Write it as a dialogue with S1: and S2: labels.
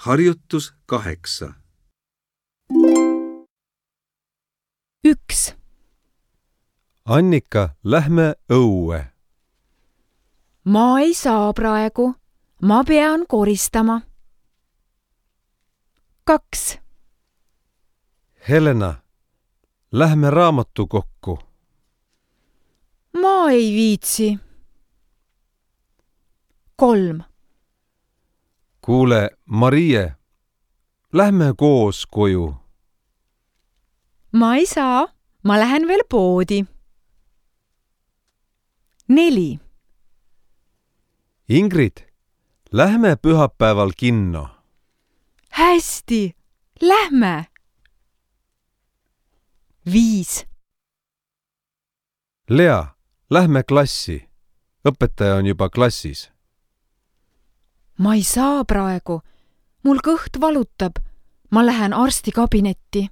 S1: Harjutus 8.
S2: 1.
S3: Annika, lähme õue.
S2: Ma ei saa praegu. Ma pean koristama. 2.
S3: Helena, lähme raamatukokku.
S2: Ma ei viitsi. 3.
S3: Kuule, Marie, lähme koos koju.
S2: Ma ei saa. Ma lähen veel poodi. 4.
S3: Ingrid, lähme pühapäeval kinno.
S2: Hästi, lähme. 5.
S3: Lea, lähme klassi. Õpetaja on juba klassis.
S2: Ma ei saa praegu. Mul kõht valutab. Ma lähen arsti kabinetti.